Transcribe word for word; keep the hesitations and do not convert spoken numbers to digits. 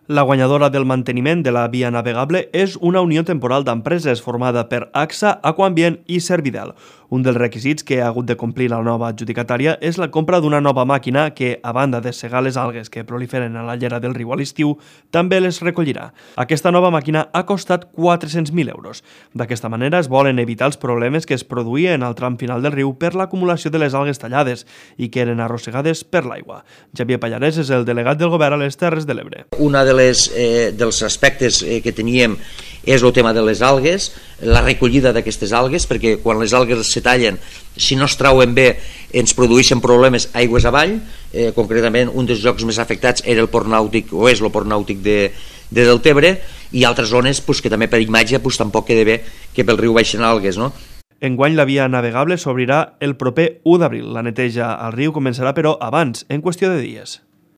La guanyadora del manteniment de la via navegable és una unió temporal d'empreses formada per AXA, Aquambient i Servidel. Un dels requisits que ha hagut de complir la nova adjudicatària és la compra d'una nova màquina que, a banda de segar les algues que proliferen a la llera del riu a l'estiu, també les recollirà. Aquesta nova màquina ha costat quatre-cents mil euros. D'aquesta manera es volen evitar els problemes que es produïen al tram final del riu per l'acumulació de les algues tallades i que eren arrossegades per l'aigua. Xavier Pallarès és el delegat del govern a les Terres de l'Ebre. Una de les, eh, dels aspectes eh, que teníem és el tema de les algues, la recollida d'aquestes algues, perquè quan les algues se tallen, si no es trauen bé, ens produeixen problemes aigües avall. Eh, concretament, un dels llocs més afectats era el port nàutic, o és el port nàutic de, de Deltebre, i altres zones pues, que també per imatge pues, tampoc queda bé que pel riu baixen algues, no? Enguany la via navegable s'obrirà el proper u d'abril. La neteja al riu començarà, però, abans, en qüestió de dies.